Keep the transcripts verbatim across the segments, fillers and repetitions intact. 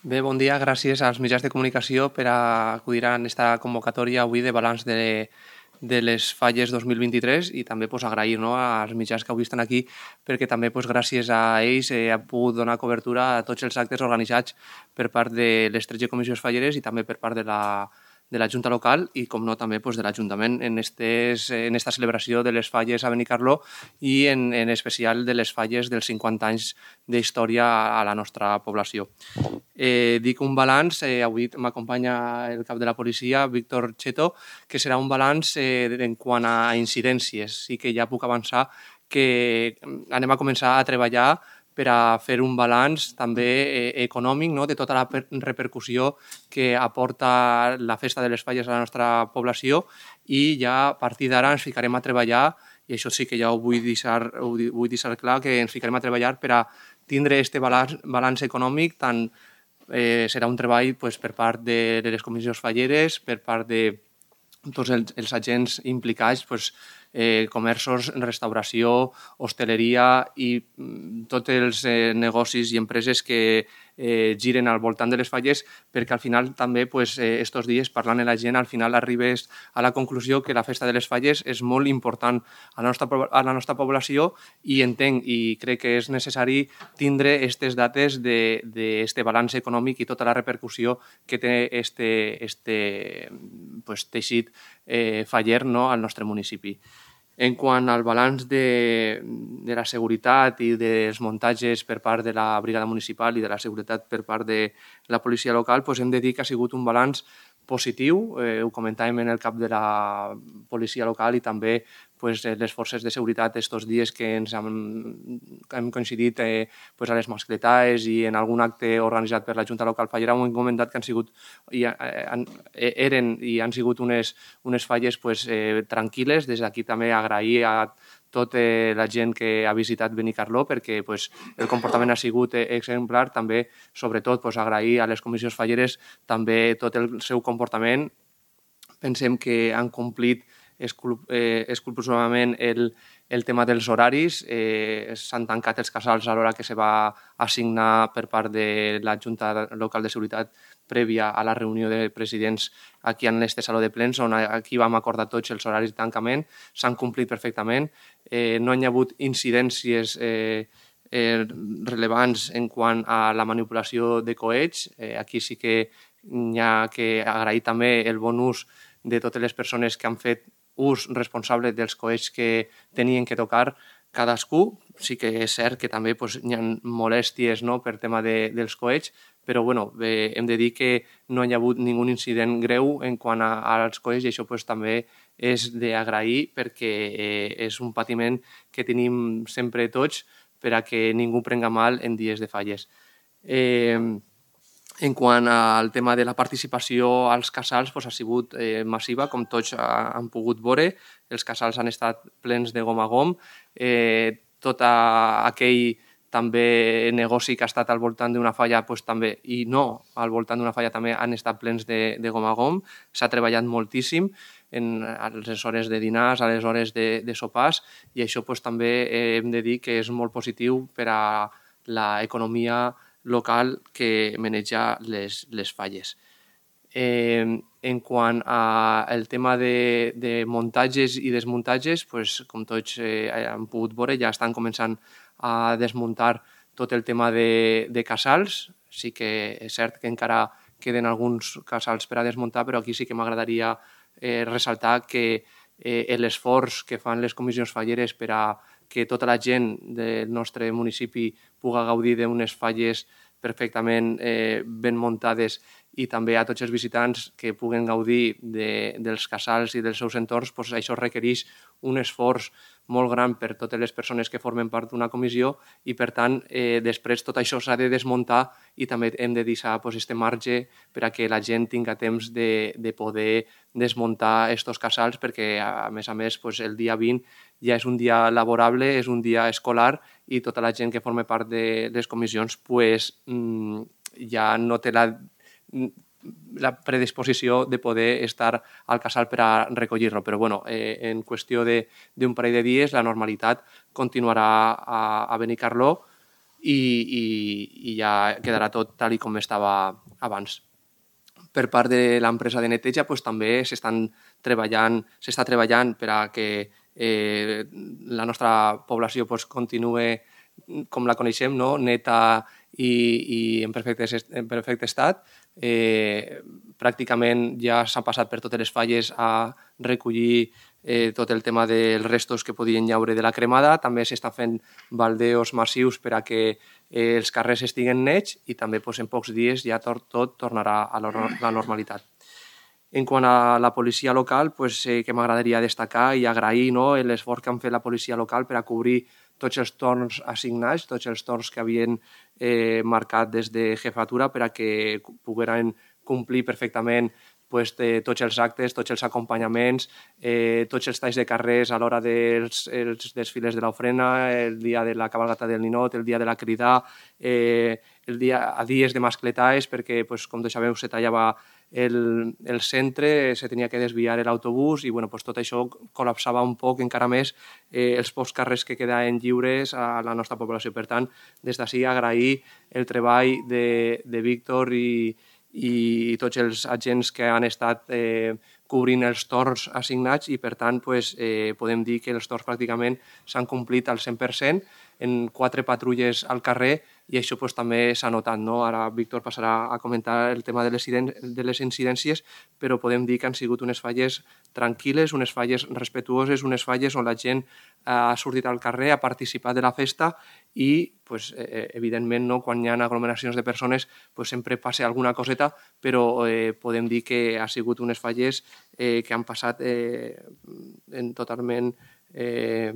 Bé, bon dia. Gràcies als mitjans de comunicació per acudir a aquesta convocatòria avui de balanç de, de les falles dos mil vint-i-tres i també pues, agrair no, als mitjans que avui estan aquí perquè també pues, gràcies a ells eh, ha pogut donar cobertura a tots els actes organitzats per part de les tretze comissions falleres i també per part de la, de la Junta Local i, com no, també pues, de l'Ajuntament en, estes, en esta celebració de les falles a Benicarló i en, en especial de les falles dels cinquanta anys d'història a la nostra població. Eh, dic un balanç, eh, avui m'acompanya el cap de la policia, Víctor Cheto, que serà un balanç eh, en quant a incidències. Sí que ja puc avançar que anem a començar a treballar per a fer un balanç també eh, econòmic no? de tota la repercussió que aporta la festa de les falles a la nostra població i ja a partir d'ara ens ficarem a treballar, i això sí que ja ho vull deixar, ho vull deixar clar, que ens ficarem a treballar per a tindre aquest balanç, balanç econòmic. Tant eh, serà un treball pues, per part de, de les comissions falleres, per part de tots els, els agents implicats, pues, eh, comerços, restauració, hostaleria i mm, tots els eh, negocis i empreses que eh, giren al voltant de les falles, perquè al final també pues, eh, estos dies parlant amb la gent al final arribes a la conclusió que la festa de les falles és molt important a la nostra, a la nostra població i entenc i crec que és necessari tindre aquestes dates d'aquest balanç econòmic i tota la repercussió que té este, este pues, teixit eh, faller no, al nostre municipi. En quant al balanç de, de la seguretat i dels muntatges per part de la brigada municipal i de la seguretat per part de la policia local, doncs hem de dir que ha sigut un balanç positiu. Eh, ho comentàvem en el cap de la policia local i també pues, les forces de seguretat estos dies que ens hem, hem coincidit eh, pues, a les mascletaes i en algun acte organitzat per la Junta Local Fallera, hem comentat que han sigut, i, eh, eren i han sigut unes, unes falles pues, eh, tranquil·les. Des d'aquí també agrair a tota la gent que ha visitat Benicarló perquè pues, el comportament ha sigut exemplar. També, sobretot, pues, agrair a les comissions falleres també tot el seu comportament. Pensem que han complit escrupolosament el, el tema dels horaris. Eh, s'han tancat els casals a l'hora que se va assignar per part de la Junta Local de Seguretat prèvia a la reunió de presidents aquí en este saló de plens, on aquí vam acordar tots els horaris de tancament. S'han complit perfectament. Eh, no hi ha hagut incidències eh, eh, rellevants en quant a la manipulació de coets. Eh, aquí sí que hi ha que agrair també el bon ús de totes les persones que han fet ús responsable dels coets que tenien que tocar cadascú. Sí que és cert que també pues, hi ha molèsties no, per tema de, dels coets, però bueno, eh, hem de dir que no hi ha hagut ningú incident greu en quant a, als coets i això pues, també és d'agrair perquè eh, és un patiment que tenim sempre tots per a que ningú prenga mal en dies de falles. Eh, En quant al tema de la participació als casals, doncs ha sigut eh, massiva, com tots han pogut veure. Els casals han estat plens de gom a gom. Eh, tot aquell també negoci que ha estat al voltant d'una falla doncs, també, i no al voltant d'una falla també han estat plens de, de gom a gom. S'ha treballat moltíssim en, a les hores de dinars, a les hores de, de sopars, i això doncs, també eh, hem de dir que és molt positiu per a l'economia local que maneja les, les falles. Eh, en quant al tema de, de muntatges i desmuntatges, pues, com tots eh, han pogut veure, ja estan començant a desmuntar tot el tema de, de casals. Sí que és cert que encara queden alguns casals per a desmuntar, però aquí sí que m'agradaria eh, ressaltar que eh, l'esforç que fan les comissions falleres per a que tota la gent del nostre municipi pugui gaudir d'unes falles perfectament eh, ben muntades i també a tots els visitants que puguen gaudir de, dels casals i dels seus entorns, doncs això requereix un esforç molt gran per totes les persones que formen part d'una comissió i, per tant, eh, després tot això s'ha de desmuntar i també hem de deixar doncs, este marge per a que la gent tinga temps de, de poder desmuntar aquests casals perquè, a més a més, doncs, el dia vint ja és un dia laborable, és un dia escolar i tota la gent que forma part de les comissions pues, ja no té la, la predisposició de poder estar al casal per a recollir-lo. Però bueno, eh, en qüestió d'un parell de dies la normalitat continuarà a, a Benicarló i, i, i ja quedarà tot tal i com estava abans. Per part de l'empresa de neteja pues, també s'estan treballant, s'està treballant per a que eh, la nostra població pues, continuï com la coneixem, no? Neta i, i en, perfecte, en perfecte estat. Eh, pràcticament ja s'ha passat per totes les falles a recollir eh, tot el tema dels restos que podien llaure de la cremada. També s'està fent baldeos massius per a que eh, els carrers estiguen nets i també pues, en pocs dies ja tot, tot tornarà a la normalitat. En quant a la policia local, pues, eh, que m'agradaria destacar i agrair no, l'esforç que han fet la policia local per a cobrir tots els torns assignats, tots els torns que havien eh, marcat des de jefatura per a que pogueren complir perfectament pues, de tots els actes, tots els acompanyaments, eh, tots els talls de carrers a l'hora dels els desfiles de l'ofrena, el dia de la cabalgata del ninot, el dia de la crida, eh, el dia, a dies de mascletaes, perquè, pues, com tots sabeu, se tallava el, el centre, se tenia que desviar l'autobús i bueno, pues, tot això col·lapsava un poc encara més eh, els pocs carrers que quedaven lliures a la nostra població. Per tant, des d'ací agrair el treball de, de Víctor i, i tots els agents que han estat eh, cobrint els torns assignats i per tant pues, eh, podem dir que els torns pràcticament s'han complit al cent per cent en quatre patrulles al carrer i això pues, també s'ha notat. No? Ara Víctor passarà a comentar el tema de les, de les incidències, però podem dir que han sigut unes falles tranquil·les, unes falles respetuoses, unes falles on la gent ha sortit al carrer, ha participat de la festa i pues, eh, evidentment no? Quan hi ha aglomeracions de persones pues, sempre passa alguna coseta, però eh, podem dir que ha sigut unes falles eh, que han passat eh, en totalment eh,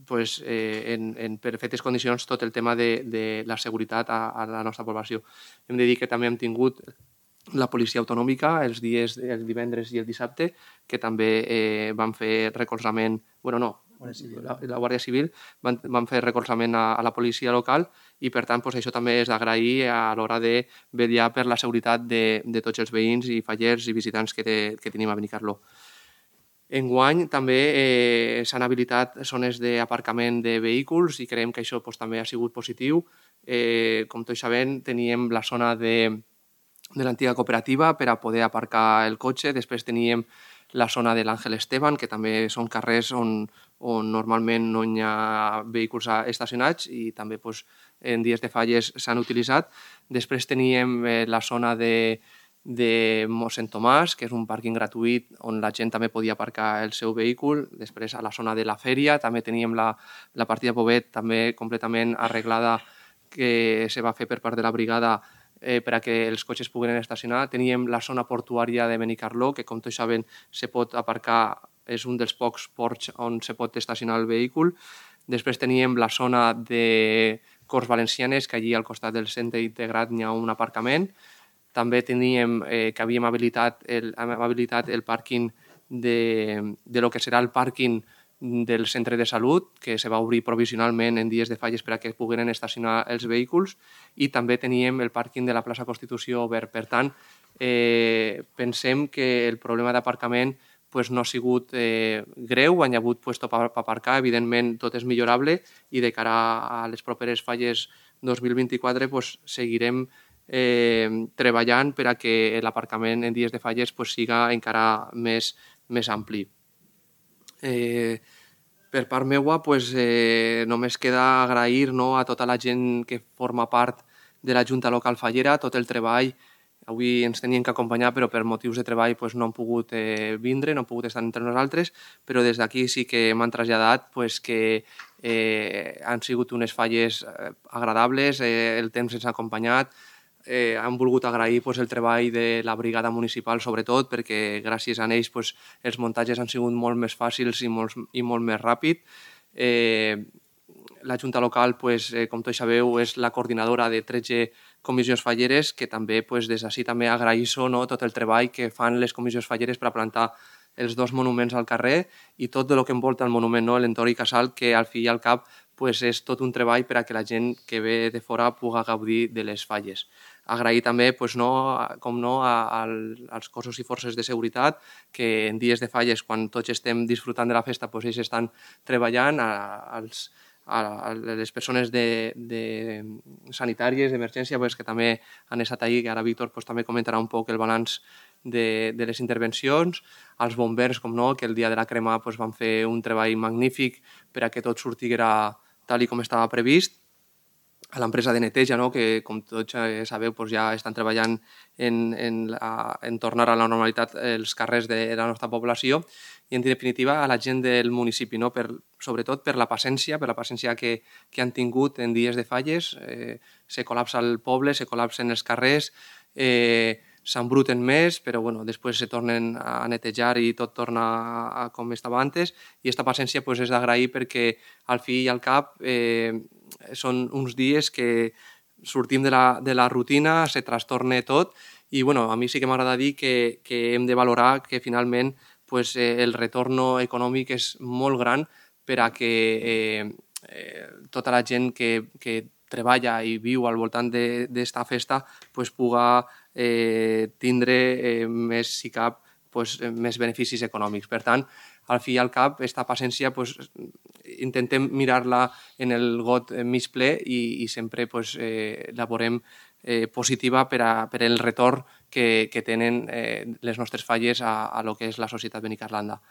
pues, eh, en, en perfectes condicions tot el tema de, de la seguretat a, a la nostra població. Hem de dir que també hem tingut la policia autonòmica els dies, el divendres i el dissabte, que també eh, van fer recolzament, bueno, no, la, la Guàrdia Civil van, van fer recolzament a, a la policia local i per tant pues, això també és d'agrair a l'hora de vetllar per la seguretat de, de tots els veïns i fallers i visitants que, te, que tenim a Benicarló. Enguany també eh, s'han habilitat zones d'aparcament de vehicles i creiem que això pues, també ha sigut positiu. Eh, com tots sabem, teníem la zona de, de l'antiga cooperativa per a poder aparcar el cotxe. Després teníem la zona de l'Àngel Esteban, que també són carrers on, on normalment no hi ha vehicles estacionats i també pues, en dies de falles s'han utilitzat. Després teníem eh, la zona de de mossèn Tomàs, que és un pàrquing gratuït on la gent també podia aparcar el seu vehicle. Després a la zona de la fèria també teníem la, la partida Pobet també completament arreglada que se va fer per part de la brigada eh, per a que els cotxes pogueren estacionar. Teníem la zona portuària de Benicarló, que com tots saben se pot aparcar, és un dels pocs ports on se pot estacionar el vehicle. Després teníem la zona de Corts Valencianes, que allí al costat del centre integrat hi ha un aparcament. També teníem eh, que havíem habilitat el, habilitat el pàrquing de, de lo que serà el pàrquing del centre de salut, que se va obrir provisionalment en dies de falles per a que pogueren estacionar els vehicles, i també teníem el pàrquing de la plaça Constitució obert. Per tant, eh, pensem que el problema d'aparcament pues, no ha sigut eh, greu, han hagut puesto per aparcar, evidentment tot és millorable i de cara a les properes falles dos mil vint-i-quatre pues, seguirem Eh, treballant per a que l'aparcament en dies de falles pues, siga encara més, més ampli. Eh, per part meua pues, eh, només queda agrair no, a tota la gent que forma part de la Junta Local Fallera, tot el treball. Avui ens tenien que acompanyar, però per motius de treball pues, no han pogut eh, vindre, no han pogut estar entre nosaltres, però des d'aquí sí que m'han traslladat pues, que eh, han sigut unes falles eh, agradables, eh, el temps ens ha acompanyat. Eh, han volgut agrair pues, el treball de la brigada municipal, sobretot, perquè gràcies a ells pues, els muntatges han sigut molt més fàcils i molt, i molt més ràpid. Eh, la Junta Local, pues, eh, com tots sabeu, és la coordinadora de tretze comissions falleres, que també pues, des d'ací també agraïsso no, tot el treball que fan les comissions falleres per a plantar els dos monuments al carrer i tot el que envolta el monument, no, l'entorn i casal, que al fi i al cap pues, és tot un treball per a que la gent que ve de fora pugui gaudir de les falles. Agrair també, pues, no, com no, a, a, als cossos i forces de seguretat que en dies de falles, quan tots estem disfrutant de la festa, pues, ells estan treballant, a, als, a les persones de, de sanitàries, d'emergència, pues, que també han estat ahí, que ara Víctor pues, també comentarà un poc el balanç de, de les intervencions, als bombers, com no, que el dia de la crema pues, van fer un treball magnífic per a que tot sortiguera tal i com estava previst, a l'empresa de neteja, no? Que com tots sabeu pues, ja estan treballant en, en, la, en tornar a la normalitat els carrers de la nostra població i, en definitiva, a la gent del municipi, no? Per, sobretot per la paciència, per la paciència que, que han tingut en dies de falles. Eh, se col·lapsa el poble, se col·lapsen els carrers, eh, s'embruten més, però bueno, després se tornen a netejar i tot torna a, a com estava antes, i aquesta paciència pues, és d'agrair perquè al fi i al cap eh, són uns dies que sortim de la, de la rutina, se trastorna tot i bueno, a mi sí que m'agrada dir que, que hem de valorar que finalment pues, eh, el retorn econòmic és molt gran per a que eh, eh, tota la gent que, que treballa i viu al voltant d'esta festa pues, puga eh, tindre eh, més, si cap, pues, més beneficis econòmics. Per tant, al fi i al cap, aquesta paciència pues, intentem mirar-la en el got mig ple i, i sempre pues, eh, la veurem eh, positiva per, a, per el retorn que, que tenen eh, les nostres falles a, a lo que és la societat Benicarlanda.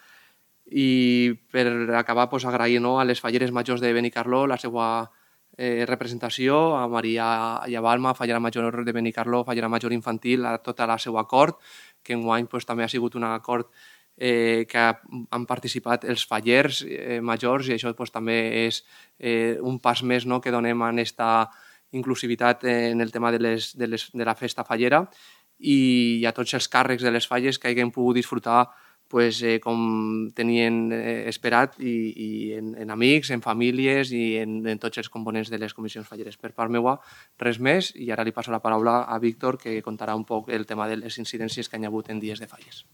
I per acabar, pues, agrair no, a les falleres majors de Benicarló la seva eh, representació, a Maria i a Balma, fallera major de Benicarló, fallera major infantil, a tota la seva cort, que enguany pues, també ha sigut un acord eh, que han participat els fallers eh, majors i això pues, també és eh, un pas més no, que donem en aquesta inclusivitat en el tema de, les, de, les, de la festa fallera i a tots els càrrecs de les falles que hagin pogut disfrutar pues, eh, com tenien eh, esperat i, i en, en amics, en famílies i en, en tots els components de les comissions falleres. Per part meva, res més i ara li passo la paraula a Víctor que contarà un poc el tema de les incidències que hi ha hagut en dies de falles.